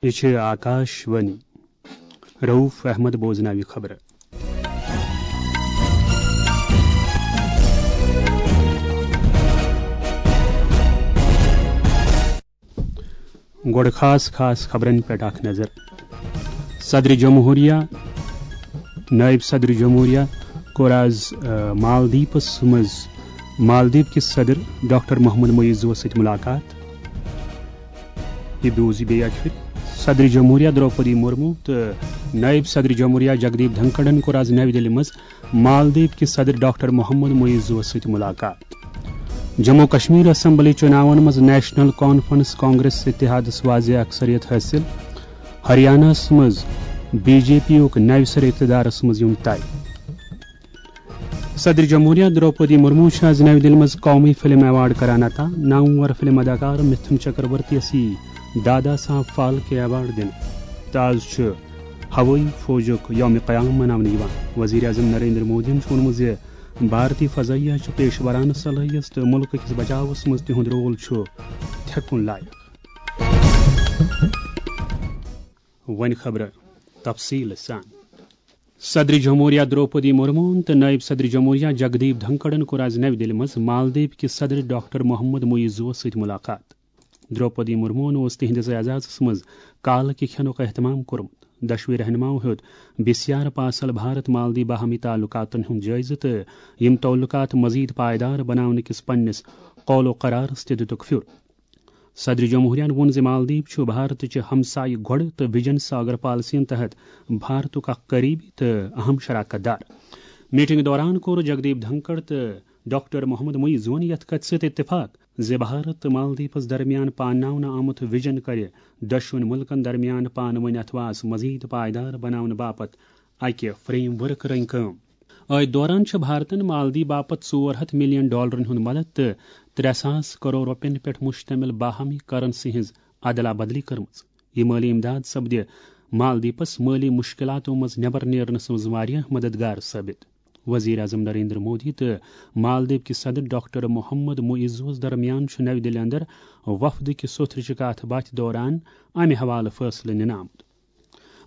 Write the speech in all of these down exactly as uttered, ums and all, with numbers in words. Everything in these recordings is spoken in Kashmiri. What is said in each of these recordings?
یہِ چھِ آکاش وانی۔ رؤف احمد بوزناوِ خبرٕ۔ گۄڈٕ خاص خاص خبرن پٮ۪ٹھ اکھ نظر۔ صدر جمہوریہ، نائب صدر جمہوریہ کوٚر آز، آ، مالدیپس منٛز مالدیپ کِس صدر ڈاکٹر محمد معیزوس سۭتۍ ملاقات۔ یہِ بوٗزِو بیٚیہِ اکہِ پھِرِ۔ صدر جمہوریہ درٛوپدی مرمو تہٕ نائب صدر جمہوریہ جگدیپ دھنکڑن کوٚر آز نَوِ دِلہِ منٛز مالدیپ کِس صدر ڈاکٹر محمد معیزوس سۭتۍ ملاقات۔ جموں کشمیر اسمبلی چُناون منٛز نیشنل کانفرنس کانگریس اتحادس واضح اکثریت حٲصِل۔ ہریانہس منٛز بی جے پی یُک نوِ سرٕ اقتدارس منٛز یُن طے۔ صدر جمہوریہ درٛوپدی مرمو چھِ آز نَوِ دِلہِ منٛز قومی فلم ایوارڈ کران عطا۔ نامور فلم اداکار مِتھُن چکرورتی یَس یی دادا صاحب فالکے ایوارڈ دِنہٕ۔ تہٕ آز چھُ ہوٲیی فوجُک یوم قیام مناونہٕ یِوان۔ وزیر اعظم نریندر مودیَن چھُ ووٚنمُت زِ بھارتی فضائیہ چھُ پیشورانہٕ صلٲحیت تہٕ مُلکہٕ کِس بچاوس منٛز تِہُنٛد رول چھُ تھٮ۪کُن لایق۔ وۄنۍ خبرٕ تفصیٖل سان۔ صدر جمہوریہ درٛوپدی مرموہن تہٕ نائب صدر جمہوریہ جگدیپ دھنکڑن کوٚر آز نَوِ دِلہِ منٛز مالدیپ کِس صدر ڈاکٹر محمد معیزوس سۭتۍ ملاقات۔ درٛوپدی مرموہن اوس تِہنٛدِس اعزازس منٛز کالہٕ کہِ کھٮ۪نُک اہتمام کوٚرمُت۔ دۄشوٕے رہنماہو ہیوٚت بسیار پاسل بھارت مالدیپ باہمی تعلقاتن ہُنٛد جٲیزٕ تہٕ یِم تعلقات مزید پائیدار بناونہٕ کِس پننِس قول و قرارس تہِ دِتُکھ پھیُر۔ صدر جمہوریہن ووٚن زِ مالدیپ چھُ بھارتٕچہِ ہمسایہِ گۄڈٕ تہٕ ویژن ساگر پالیسین تحت بھارتُک اکھ قریبی تہٕ اہم شراکت دار۔ میٹنگ دوران کوٚر جگدیپ دھنکڑ تہٕ ڈاکٹر محمد معیزون یتھ کتھِ سۭتۍ اتفاق زِ بھارت تہٕ مالدیپس درمیان پانناونہٕ آمُت ویژن کرِ دۄشوٕنۍ مُلکن درمیان پانہٕ وٲنۍ اتھواس مزید پائیدار بناونہٕ باپتھ اکہِ فریم ورک رٔنگۍ کٲم۔ أتھۍ دوران چھُ بھارتن مالدیپ باپتھ ژور ہتھ ملین ڈالرن ہُنٛد مدد تہٕ ترٛےٚ ساس کرور رۄپین پٮ۪ٹھ مشتمل باہمی کرنسی ہٕنٛز ادلا بدلی کٔرمٕژ۔ یہِ مٲلی امداد سپدِ مالدیپس مٲلی مشکلاتو منٛز نٮ۪بر نیرنس منٛز واریاہ مددگار ثٲبت۔ وزیر اعظم نریندر مودی تہٕ مالدیپ کِس صدر ڈاکٹر محمد معیزوس درمیان چھُ نَوِ دِلہِ اندر وفد کِس سوٚتھرٕچہِ کتھ باتھِ دوران امہِ حوالہٕ فٲصلہٕ نِنہٕ آمُت۔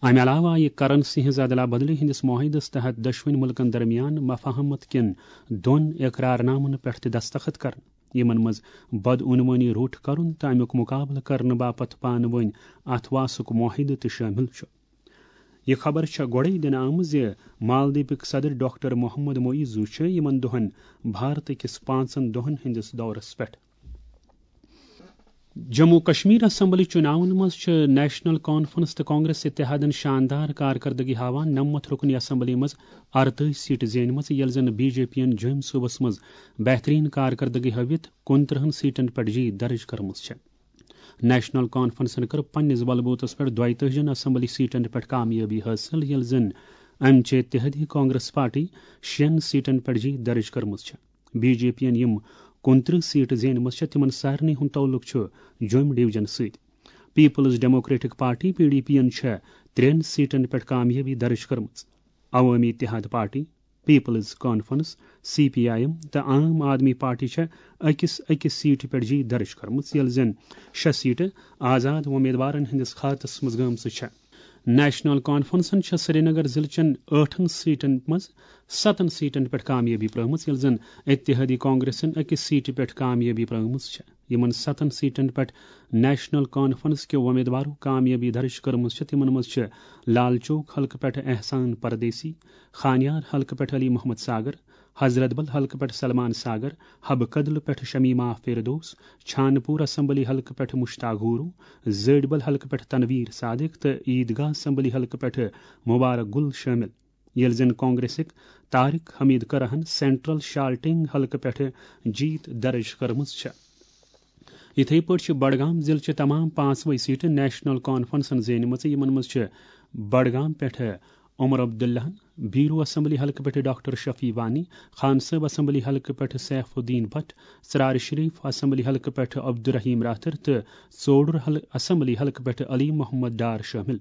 امہِ علاوٕ آیہِ کرنسی ہٕنٛز ادلا بدلی ہٕنٛدِس معاہدس تحت دۄشوٕنۍ مُلکن درمیان مفاہمت کٮ۪ن دۄن اقرار نامن پٮ۪ٹھ تہِ دستخط کرنہٕ، یِمن منٛز بدعنوٲنی روٚٹ کرُن تہٕ امیُک مقابلہٕ کرنہٕ باپتھ پانہٕ وٲنۍ اتھواسُک معاہدٕ تہِ شٲمِل چھُ۔ یہِ خبر چھےٚ گۄڈَے دِنہٕ آمٕژ زِ مالدیپٕکۍ صدر ڈاکٹر محمد معیزو چھِ یِمن دۄہن بھارت کِس پانٛژن دۄہن ہٕنٛدِس دورس پٮ۪ٹھ۔ جموں کشمیر اسمبلی چُناون منٛز چھِ نیشنل کانفرنس تہٕ کانگریس اتحادن شاندار کارکردگی ہاوان نَمَتھ رُکنی اسمبلی منٛز اَرتٲجی سیٹہٕ زینِمژٕ، ییٚلہِ زن بی جے پی ین جوٚمۍ صوبس منٛز بہترین کارکردگی ہٲوِتھ کُنترٕہن سیٹن پٮ۪ٹھ جیت درج کٔرمٕژ چھےٚ۔ نیشنل کانفرنسن کٔر پننِس بلبوتس پٮ۪ٹھ دۄیتٲجی ہن اسمبلی سیٹن پٮ۪ٹھ کامیٲبی حٲصِل، ییٚلہِ زن امہِ چہِ اتحادی کانگریس پارٹی شٮ۪ن سیٹن پٮ۪ٹھ جیت درج کٔرمٕژ چھےٚ۔ بی جے پی ین یِم کُنترٕہ سیٹہٕ زینِمژٕ چھےٚ، تِمن سارنٕے ہُنٛد تعلق چھُ جوٚمۍ ڈویژن سۭتۍ۔ Peoples democratic party, P D P ین چھےٚ ترٛٮ۪ن سیٹن پٮ۪ٹھ کامیٲبی درج کٔرمٕژ۔ عوٲمی اتحاد party, peoples conference, C P I M تہٕ عام آدمی پارٹی چھےٚ أکِس أکِس سیٹہِ پٮ۪ٹھ جیت درج کٔرمٕژ، ییٚلہِ زن شےٚ سیٹہٕ آزاد وۄمیدوارن ہٕنٛدِس کھاتس منٛز گٲمژٕ چھےٚ۔ نیشنل کانفرنسن چھےٚ سرینگر ضلعہٕ چٮ۪ن ٲٹھن سیٹن منٛز ستن سیٹن پٮ۪ٹھ کامیٲبی پرٲومٕژ، ییٚلہِ زن اتحادی کانگریسن أکِس سیٹہِ پٮ۪ٹھ کامیٲبی پرٲومٕژ چھےٚ۔ یِمن ستن سیٹن پٮ۪ٹھ نیشنل کانفرنس کیو وۄمیدوارو کامیٲبی درج کٔرمٕژ چھےٚ، تِمن منٛز چھِ لال چوک حلقہٕ پٮ۪ٹھ احسان پردیسی، خانیار حلقہٕ پٮ۪ٹھ علی محمد ساگر، حضرت بل حلقہٕ پٮ۪ٹھ سلمان ساگر، حبہٕ کدلہٕ پٮ۪ٹھ شمیمہ فردوس، چھانہٕ پوٗر اسمبلی حلقہٕ پٮ۪ٹھ مشتاق ہورو، زٲڈۍ بل حلقہٕ پٮ۪ٹھ تنویر صادق تہٕ عیدگاہ اسمبلی حلقہٕ پٮ۪ٹھ مبارک گل شٲمِل، ییٚلہِ زن کانگریسٕکۍ طارق حمید کرہن سینٹرل شالٹنگ حلقہٕ پٮ۪ٹھ جیت درج کٔرمٕژ چھےٚ۔ یِتھے پٲٹھۍ چھِ بڈگام ضلعہٕ چہِ تمام پانٛژوے سیٹہٕ نیشنل کانفرنسن زینِمژٕ، یِمن منٛز چھِ بڈگام پٮ۪ٹھٕ عمر عبداللہن، بیرو اسمبلی حلقہٕ پٮ۪ٹھٕ ڈاکٹر شفیع وانی، خان صٲب اسمبلی حلقہٕ پٮ۪ٹھٕ سیف الدین بٹ، ژرارِ شریف اسمبلی حلقہٕ پٮ۪ٹھٕ عبدالرحیم راتھر تہٕ ژوڈُر حل-، اسمبلی حلقہٕ پٮ۪ٹھٕ علی محمد ڈار شٲمِل۔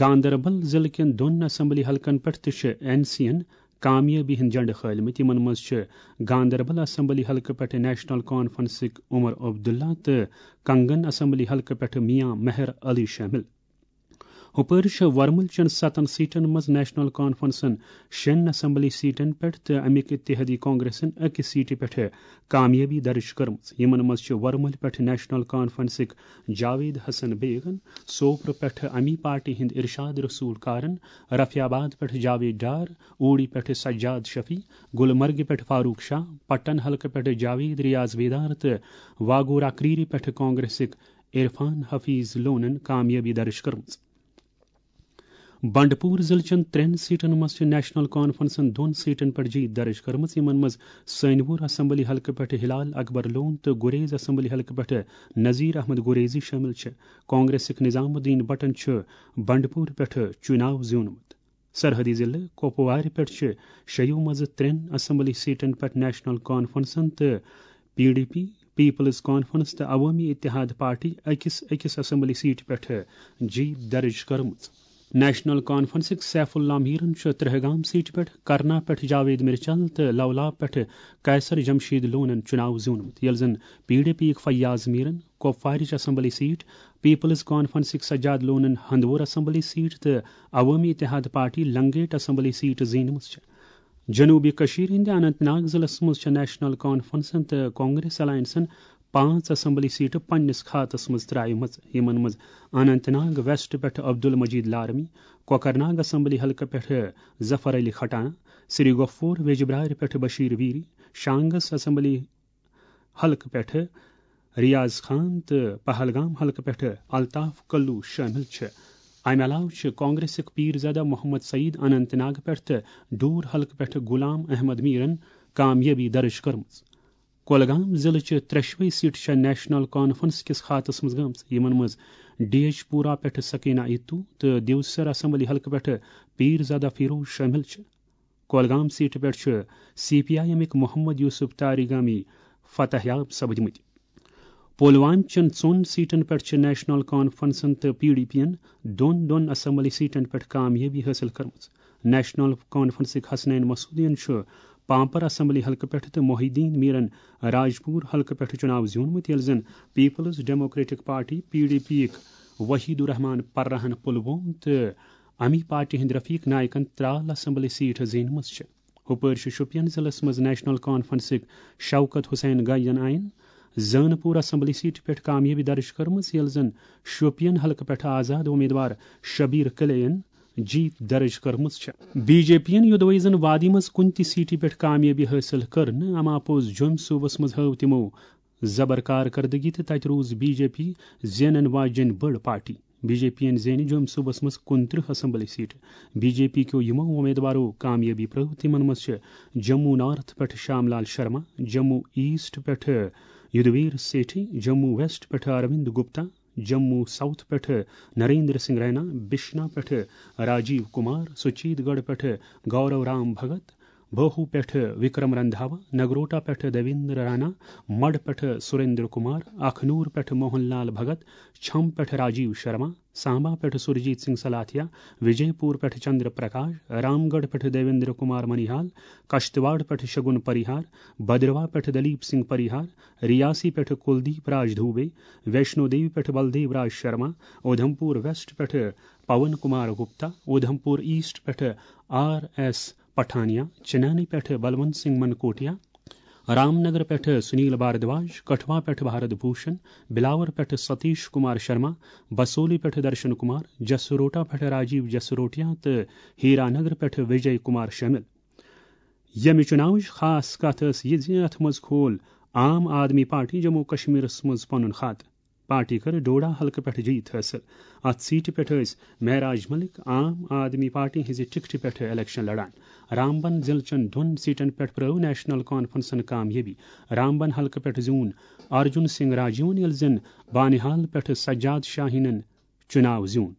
گاندربل ضلعہٕ کٮ۪ن دۄن اسمبلی حلقن پٮ۪ٹھ تہِ چھِ این سی ین کامیٲبی ہٕنٛدۍ جنڈٕ کھٲلمٕتۍ۔ یِمن منٛز چھِ گاندربل اسمبلی حلقہٕ پٮ۪ٹھٕ نیشنل کانفرنسٕکۍ عمر عبداللہ تہٕ کنگن اسمبلی حلقہٕ پٮ۪ٹھٕ میاں مہر علی شٲمِل۔ ہُپٲرۍ چھِ ورمُل چٮ۪ن ستن سیٹن منٛز نیشنل کانفرنسن شٮ۪ن اسمبلی سیٹن پٮ۪ٹھ تہٕ اَمِکۍ اتحادی کانگریسن أکِس سیٹہِ پٮ۪ٹھ کامیٲبی درج کٔرمٕژ۔ یِمن منٛز چھِ ورمُلہِ پٮ۪ٹھ نیشنل کانفرنسٕکۍ جاوید حسن بیگن، سوپرٕ پٮ۪ٹھ اَمی پارٹی ہٕنٛدۍ ارشاد رسول کارن، رفیع آباد پٮ۪ٹھ جاوید ڈار، اوڑی پٮ۪ٹھ سجاد شفیع، گلمرگہِ پٮ۪ٹھ فاروق شاہ، پٹن حلقہٕ پٮ۪ٹھ جاوید ریاض بیدار تہٕ واگورا کریری پٮ۪ٹھ کانگریسٕکۍ عرفان حفیظ لونن کامیٲبی درج کٔرمٕژ۔ بنڈپور ضلعہٕ چٮ۪ن ترٛٮ۪ن سیٹن منٛز چھِ نیشنل کانفرنسن دۄن سیٹن پٮ۪ٹھ جیت درج کٔرمٕژ، یِمن منٛز سٲنِوور اسمبلی حلقہٕ پٮ۪ٹھ ہلال اکبر لون تہٕ گریز اسمبلی حلقہٕ پٮ۪ٹھ نذیر احمد گریزی شٲمِل چھِ۔ کانگریسٕکۍ نظام الدین بٹن چھُ بنڈپور پٮ۪ٹھ چُناو زیوٗنمُت۔ سرحدی ضلعہٕ کپوارِ پٮ۪ٹھ چھِ شیٚیو منٛزٕ ترٛٮ۪ن اسمبلی سیٹن پٮ۪ٹھ نیشنل کانفرنسن تہٕ P D P, peoples conference تہٕ عوٲمی اتحاد پارٹی أکِس أکِس اسمبلی سیٹہِ پٮ۪ٹھ جیت درج کٔرمٕژ۔ نیشنل کانفرنسٕکۍ سیف اللہ میرن چھُ ترہگام سیٹہِ پٮ۪ٹھ، کرنا پٮ۪ٹھ جاوید مرچل تہٕ لولاب پٮ۪ٹھ قیصر جمشید لونن چُناو زیوٗنمُت، ییٚلہِ زن پی ڈی پی یٕکۍ فیاض میرن کپوارٕچ اسمبلی سیٹ، پیپلز کانفرنسٕکۍ سجاد لونن ہندوور اسمبلی سیٹ تہٕ عوٲمی اتحاد پارٹی لنگیٹ اسمبلی سیٹ زیٖنمٕژ چھےٚ۔ جنوبی کشمیر ہٕنٛدِ اننت ناگ ضلعس منٛز چھےٚ نیشنل کانفرنسن تہٕ کانگریس الائنسن پانٛژھ اسمبلی سیٹہٕ پننِس کھاتس منٛز ترٛایمژٕ، یِمن منٛز اننت ناگ ویسٹ پٮ۪ٹھٕ عبدل مجید لارمی، کوکرناگ اسمبلی حلقہٕ پٮ۪ٹھٕ ظفر علی کھٹانہ، سری گفور ویجبرارِ پٮ۪ٹھٕ بشیر ویری، شانگس اسمبلی حلقہٕ پٮ۪ٹھٕ ریاض خان تہٕ پہلگام حلقہٕ پٮ۪ٹھٕ الطاف کلو شٲمِل چھِ۔ امہِ علاوٕ چھِ کانگریسٕکۍ پیٖر زدہ محمد سعید اننت ناگ پٮ۪ٹھ تہٕ ڈور حلقہٕ پٮ۪ٹھٕ غلام احمد میرن کامیٲبی درج کٔرمٕژ۔ کۄلگام ضلعہٕ چہِ ترٛٮ۪شوَے سیٹہٕ چھےٚ نیشنل کانفرنس کِس کھاتس منٛز گٔمٕژ، یِمن منٛز ڈی ایچ پورہ پٮ۪ٹھٕ سکینہ ایتو تہٕ دیوسر اسمبلی حلقہٕ پٮ۪ٹھٕ پیٖر زدہ فیروز شٲمِل چھِ۔ کۄلگام سیٹہِ پٮ۪ٹھ چھِ سی پی آئی ایمٕکۍ محمد یوسف تاریگامی فتح یاب سپدمٕتۍ۔ پُلوامہِ چٮ۪ن ژۄن سیٹن پٮ۪ٹھ چھِ نیشنل کانفرنسن تہٕ پی ڈی پی ین دۄن دۄن اسمبلی سیٹن پٮ۪ٹھ کامیٲبی حٲصِل کٔرمٕژ۔ نیشنل کانفرنسٕکۍ حسنین مسعودین چھُ پامپر اسمبلی حلقہٕ پٮ۪ٹھ تہٕ محی الدین میرن راجپور حلقہٕ پٮ۪ٹھ چُناو زیوٗنمُت، ییٚلہِ زن peoples democratic party, P D P یٕکۍ وحید الرحمان پرہن پُلووم تہٕ امی پارٹی ہٕنٛدۍ رفیق نائیکن ترال اسمبلی سیٹ زیٖنمٕژ چھِ۔ ہُپٲرۍ چھِ شوپین ضلعس منٛز نیشنل کانفرنسٕکۍ شوکت حسین گاین آئین زٲنہٕ پوٗر اسمبلی سیٹہِ پٮ۪ٹھ کامیٲبی درج کٔرمٕژ، ییٚلہِ زن شوپین حلقہٕ پٮ۪ٹھ آزاد امیدوار شبیر کلے ین جیت درج کٔرمٕژ چھےٚ۔ بی جے پی ین یوٚدوَے زن وادی منٛز کُنہِ تہِ سیٹہِ پٮ۪ٹھ کامیٲبی حٲصِل کٔر نہٕ، اما پوٚز جوٚمۍ صوبس منٛز ہٲو تِمو زبر کارکردگی تہٕ تتہِ روٗز بی جے پی زینن واجیٚنۍ بٔڑ پارٹی۔ بی جے پی ین زینہِ جوٚمۍ صوبس منٛز کُنترٕہ اسمبلی سیٹہٕ۔ بی جے پی کیو یِمو امیدوارو کامیٲبی پرٲو، تِمن منٛز چھِ جموں نارتھ پٮ۪ٹھٕ شام لال شرما، جموں ایسٹ پٮ۪ٹھٕ یدویر سیٹھی، جموں ویسٹ پٮ۪ٹھٕ اروند گپتا، جموں ساؤتھ پٮ۪ٹھٕ نریندر سنگھ رینا، بشنا پٮ۪ٹھٕ راجیو کمار، سچیت گڑھ پٮ۪ٹھٕ گورو رام بھگت، بہو پٮ۪ٹھٕ وکرم رندھاوا، نگروٹا پٮ۪ٹھٕ دیویندر رانا، مڈ پٮ۪ٹھٕ سریندر کمار، اکھنور پٮ۪ٹھٕ موہن لال بھگت، چھم پٮ۪ٹھٕ راجیو شرما، سامبا پٮ۪ٹھٕ سُرجیت سنگھ سلاتھیا، وجے پور پٮ۪ٹھٕ چندر پرکاش، رام گڑھ پٮ۪ٹھٕ دیویندر کمار منیہال، کشتواڑ پٮ۪ٹھٕ شگن پریہار، بدروا پٮ۪ٹھٕ دلیپ سنگھ پریہار، ریاسی پٮ۪ٹھٕ کلدیپ راج دوبے، ویشنو دیوی پٮ۪ٹھٕ بلدیو راج شرما، اودھمپور ویسٹ پٮ۪ٹھٕ پون کمار گپتا، اودھمپور ایسٹ پٮ۪ٹھٕ آر ایس پٹھانیا، چنانی پٮ۪ٹھٕ بلونت سنگھ منکوٹیا، رام نگر پٮ۪ٹھٕ سنیل بھاردواج، کٹھوا پٮ۪ٹھٕ بھارت بھوشن، بلاور پٮ۪ٹھٕ ستیش کمار شرما، بسولی پٮ۪ٹھٕ درشن کمار، جسروٹا پٮ۪ٹھٕ راجیو جسروٹیا تہٕ ہیرا نگر پٮ۪ٹھٕ وجے کمار شٲمِل۔ ییٚمہِ چُناوٕچ خاص کتھ ٲس یہِ زِ اتھ منٛز کھول عام آدمی پارٹی جموں کشمیرس منٛز پنُن خاتہٕ۔ پارٹی کٔر ڈوڈا حلقہٕ پٮ۪ٹھ جیت حٲصِل۔ اتھ سیٹہِ پٮ۪ٹھ ٲسۍ معراج ملک عام آدمی پارٹی ہٕنٛزِ ٹکٹہِ پٮ۪ٹھ الیکشن لڑان۔ رامبن ضلعہٕ چٮ۪ن دۄن سیٹن پٮ۪ٹھ پرٲو نیشنل کانفرنسن کامیٲبی۔ رامبن حلقہٕ پٮ۪ٹھ زیوٗن ارجن سنگھ راجیون، ییٚلہِ زن بانِہال پٮ۪ٹھ سجاد شاہینن چُناو زیوٗن۔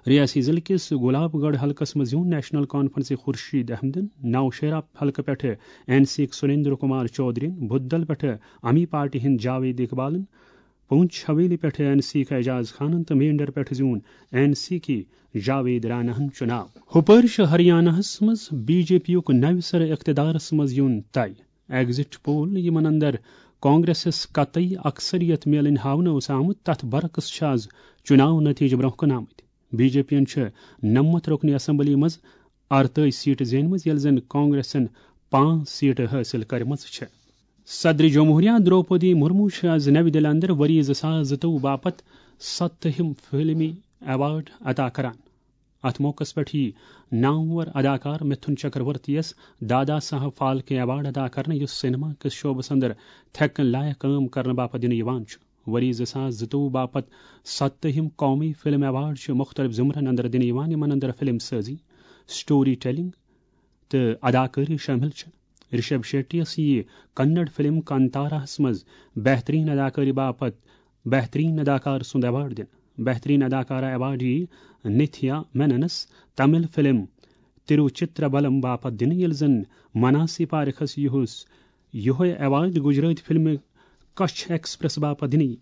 ریاسی ضلعہٕ کِس گلاب گڑھ حلقس منٛز زیوٗن نیشنل کانفرنسٕکۍ خورشید احمدن، نوشہرہ حلقہٕ پٮ۪ٹھٕ این سی یٕکۍ سریندر کمار چودھرین، بُدل پٮ۪ٹھٕ امی پارٹی ہٕنٛدۍ جاوید اقبالن، پونچھ حویلی پٮ۪ٹھ این سی کے اعجاز خانن تہٕ مینڈر پٮ۪ٹھ زیوٗن این سی کے جاوید راناہن چُناو۔ ہُپٲرۍ چھُ ہریاناہس منٛز بی جے پی یُک نوِ سرٕ اقتدارس منٛز یُن طے۔ ایگزٹ پول یِمن اندر کانگریسس قطعی اکثریت میلٕنۍ ہاونہٕ اوس آمُت، تتھ برعکس چھِ از چُناو نتیجہٕ برونٛہہ کُن آمٕتۍ۔ بی جے پی ین چھِ نَمَتھ رُکنہِ اسمبلی منٛز ارتٲجی سیٹہٕ زینمٕژ، ییٚلہِ زن کانگریسن پانٛژھ سیٹہٕ حٲصِل کٔرمٕژ چھےٚ۔ صدر جمہوریہ درٛوپدی مرمو چھِ از نَوِ دِلہِ اندر ؤری زٕ ساس زٕتووُہ باپتھ ستتھم فلمی ایوارڈ عطا کران۔ اتھ موقعس پٮ۪ٹھ یی نامور اداکار مِتھُن چکرورتی یس دادا صاحب فالکے ایوارڈ عطا کرنہٕ، یُس سینما کِس شعبس اندر تھٮ۪کن لایق کٲم کرنہٕ باپتھ دِنہٕ یِوان چھُ۔ ؤری زٕ ساس زٕتووُہ باپتھ ستتھم قومی فلم ایوارڈ چھُ مُختٔلِف زمرن اندر دِنہٕ یِوان، یِمن اندر فلم سازی، سٹوری ٹیلنگ تہٕ اداکٲری شٲمِل چھِ۔ رشب شیٹی یس یِیہِ کنڑ فلم کانتاراہس منٛز بہترین اداکٲری باپتھ بہترین اداکار سُنٛد ایوارڈ دِنہٕ۔ بہترین اداکارہ ایوارڈ یِیہِ نتھیا میننس تامل فلم تروچترابلم باپتھ دِنہٕ، ییٚلہِ زن مناسی پارکھس یِہُس یِہوٚے ایوارڈ گجرٲتۍ فلمہِ کچھ ایکسپریس باپتھ دِنہٕ یِیہِ۔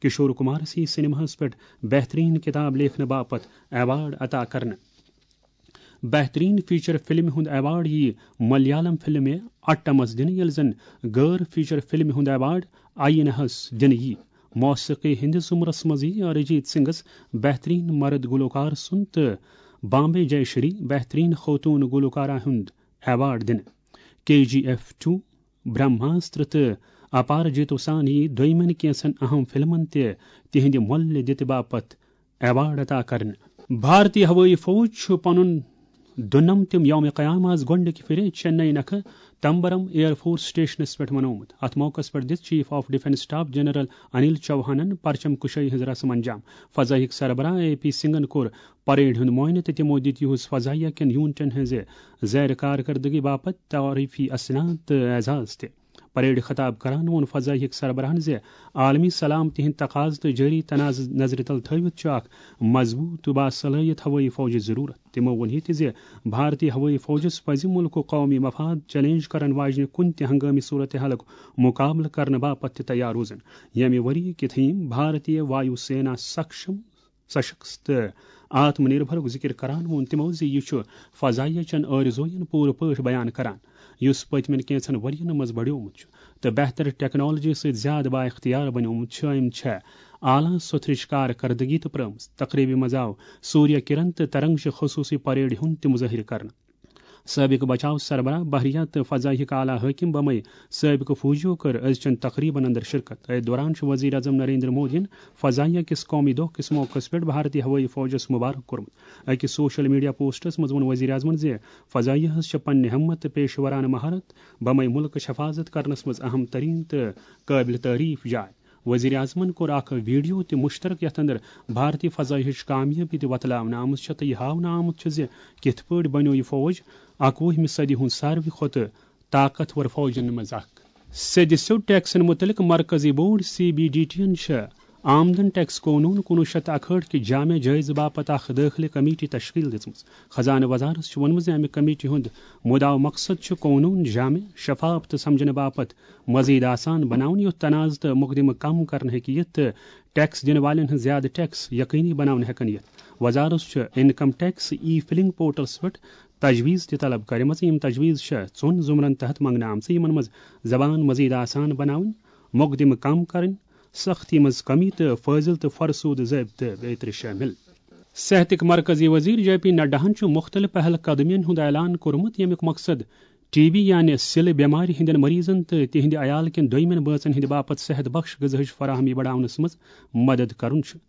کشور کمارس یِیہِ سینماہس پٮ۪ٹھ بہترین کتاب لیکھنہٕ باپتھ ایوارڈ عطا کرنہٕ۔ بہترین فیچر فلمہِ ہُنٛد ایوارڈ یِیہِ ملیالم فلمہِ اٹمس دِنہٕ، ییٚلہِ زن غٲر فیچر فلمہِ ہُنٛد ایوارڈ آئینہس دِنہٕ یِیہِ۔ موسیقی ہٕنٛدِس زمرس منٛز یِیہِ ارجیت سنگھس بہترین مرد گلوکار سُنٛد تہٕ بامبے جے شری بہترین خوتون گلوکارہ ہُنٛد ایوارڈ دِنہٕ۔ کے جی ایف ٹو، برہماسٹر تہٕ اپارجیتو سان یِیہِ دوٚیمٮ۪ن کینٛژن اہم فلمن تہِ تِہنٛدِ مۄلہِ دِتہِ باپتھ ایوارڈ عطا کرنہٕ۔ بھارتی ہوٲیی فوج چھُ پنُن دُنمتِم یوم قیام از گۄڈٕنِکہِ پھِرِ چنئی نکھٕ تمبرم ایئر فورس سٹیشنس پٮ۪ٹھ منومُت۔ اتھ موقعس پٮ۪ٹھ دِژ chief of defence staff general Anil چوہانن پرچم کشٲیی ہٕنٛز رسم انجام۔ فضائیہٕکۍ سربراہ اے پی سنگھن کوٚر پریڈ ہُنٛد معائنہٕ تہٕ تِمو دِتۍ یِہُس فضائیہ کٮ۪ن یونٹن ہٕنٛزِ زیر کارکردگی باپتھ تعریفی اسناد تہٕ اعزاز تہِ۔ پریڈ خطاب کران ووٚن فضائیہٕکۍ سربراہن زِ عالمی سلامتی ہٕنٛدۍ تقاضہٕ تہٕ جٲری تنازٕ نظرِ تل تھٲوِتھ چھُ اکھ مضبوٗط تہٕ باصلٲحیت ہوٲیی فوجٕچ ضروٗرت۔ تِمو ووٚن یہِ تہِ زِ بھارتی ہوٲیی فوجس پزِ مُلکُک قومی مفاد چیلنج کرن واجنہِ کُنہِ تہِ ہنگٲمی صورتحالُک مُقابلہٕ کرنہٕ باپتھ تہِ تیار روزُن۔ ییٚمہِ ؤریہِ کہِ تھیم بھارتی وایو سینا سکشم سشکت تہٕ آتم نربھرُک ذکر کران ووٚن تِمو زِ یہِ چھُ فضائیہ چٮ۪ن آرزوین پوٗرٕ پٲٹھۍ بیان کران، یُس پٔتمٮ۪ن کینٛژن ؤرین منٛز بڑیومُت چھُ تہٕ بہتر ٹیکنالوجی سۭتۍ زیادٕ بااختیار بنیومُت چھُ۔ أمۍ چھےٚ اعلیٰ سوٚتھرٕچ کارکردگی تہِ پرٲومٕژ۔ تقریبہِ منٛز آو سوریہ کرن تہٕ ترنگ چہِ خصوٗصی پریڈ ہُنٛد تہِ مظٲہرٕ کرنہٕ۔ سٲبِق بچاو سربراہ، بحریہ تہٕ فضائیہٕکۍ اعلیٰ حٲکم بمے سٲبِقہٕ فوجیو کٔر أزچٮ۪ن تقریبن اندر شرکت۔ أتھۍ دوران چھُ وزیر اعظم نریندر مودیَن فضائیہ کِس قومی دۄہ کِس موقعس پٮ۪ٹھ بھارتی ہوٲیی فوجس مبارک کوٚرمُت۔ أکِس سوشل میڈیا پوسٹس منٛز ووٚن وزیر اعظمن زِ فضائیہس چھِ پننہِ ہمت تہٕ پیشورانہٕ مہارت بمے ملکٕچ حفاظت کرنس منٛز اہم ترین تہٕ قٲبلِ تعریف جاے۔ وزیر اعظمن کوٚر اکھ ویڈیو تہِ مشترک، یتھ اندر بھارتی فضائیہٕچ کامیٲبی تہِ وتلاونہٕ آمٕژ چھےٚ تہٕ یہِ ہاونہٕ آمُت چھُ زِ کِتھ پٲٹھۍ بنیوو یہِ فوج اکوُہمہِ صدی ہُنٛد ساروی کھۄتہٕ طاقتور فوجن منٛز اکھ۔ سیٚدِ سیوٚد ٹیکسن متعلق مرکزی board, C B D T ین چھِ آمدن ٹیکس قونوٗن کُنوُہ شیٚتھ تہٕ اکہٲٹھ کہِ جامع جٲیزٕ باپتھ اکھ دٲخلہٕ کمیٹی تشکیل دِژمٕژ۔ خزانہٕ وزارت چھُ ووٚنمُت زِ امہِ کمیٹی ہُنٛد مُدعا مقصد چھُ قونوٗن جامع، شفاف تہٕ سمجھنہٕ باپتھ مزید آسان بناوُن، یُتھ تنازٕ تہٕ مقدمہٕ کم کرنہٕ ہیٚکہِ یِتھ تہٕ ٹیکس دِنہٕ والٮ۪ن ہٕنٛز زیادٕ ٹیکس یقینی بناونہٕ ہٮ۪کن یِتھ۔ وزارت چھُ انکم ٹیکس ای فلنگ پورٹلس پٮ۪ٹھ تجویز تہِ طلب کرِمژٕ۔ یِم تجویز چھِ ژۄن زمرن تحت منگنہٕ آمژٕ، یِمن منٛز زبان مزید آسان بناوٕنۍ، مقدمہٕ کم کرٕنۍ، سختی منٛز کمی تہٕ فٲضل تہٕ فرسود ضٲبطہٕ بیترِ شٲمِل۔ صحتٕکۍ مرکزی وزیر جے پی نڈاہن چھُ مُختٔلِف پہل قدمیَن ہُنٛد اعلان کوٚرمُت، ییٚمیُک مقصد ٹی بی یعنی سِلہٕ بٮ۪مارِ ہٕنٛدٮ۪ن مریضن تہٕ تِہنٛدِ عیال کٮ۪ن دوٚیمٮ۪ن بٲژن ہٕنٛدِ باپتھ صحت بخش غذاہٕچ فراہمی بڑاونس منٛز مدد کرُن چھُ۔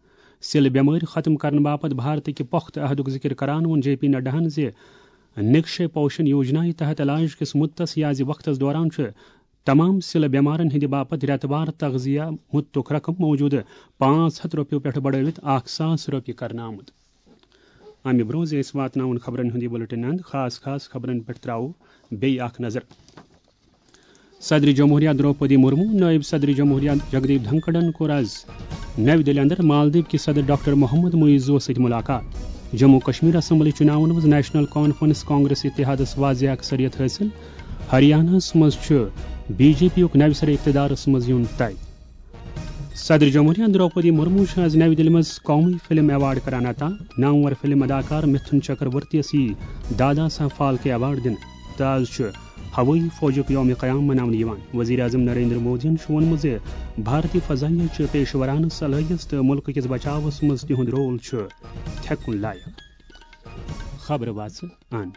سِلہٕ بٮ۪مٲرۍ ختم کرنہٕ باپتھ بھارتٕکہِ پۄختہٕ عہدُک ذِکِر کران ووٚن جے پی نڈاہَن زِ نِکشے پوشن یوجنایہِ تحت علاج کِس مُدتس یازِ وقتس دوران چھُ تمام سِلہٕ بٮ۪مارن ہٕنٛدِ باپتھ رٮ۪تہٕ وار تغذیہ مُدتُک رقم موٗجوٗدٕ پانٛژھ ہَتھ رۄپیو پٮ۪ٹھ بڑٲوِتھ اکھ ساس رۄپیہِ کرنہٕ آمُت۔ امہِ برٛونٛہہ زِ أسۍ واتناوون خبرن ہُنٛد یہِ بُلٹن اند، خاص خاص خبرن پٮ۪ٹھ ترٛاوو بیٚیہِ اکھ نظر۔ صدر جمہوریہ درٛوپدی مرمو، نٲیِب صدر جمہوریہ جگدیپ دھنکڑن کوٚر از نَوِ دِلہِ اندر مالدیپ کِس صدر ڈاکٹر محمد معیزوَس سۭتۍ مُلاقات۔ جموں کشمیر اسمبلی چُناون منٛز نیشنل کانفرنس کانگریس اتحادس واضح اکثریت حٲصِل۔ ہریاناہس منٛز چھُ بی جے پی یُک نَوِ سرٕ اقتدارس منٛز یُن طے۔ صدر جمہوریہ درٛوپدی مرمو چھِ آز نَوِ دِلہِ منٛز قومی فلم ایوارڈ کران عطا۔ نامور فلم اداکار مِتھُن چکرورتی یَس یی دادا صاحب فالکے ایوارڈ دِنہٕ۔ تہٕ آز چھُ ہوٲیی فوجُک یوم قیام مناونہٕ یِوان۔ وزیر اعظم نریندر مودیَن چھُ ووٚنمُت زِ بھارتی فضائیہ چھِ پیشورانہٕ صلٲحیت تہٕ مُلکہٕ کِس بچاوس منٛز تِہُنٛد رول چھُ تھٮ۪کُن لایق۔ خبرٕ واژٕ اند۔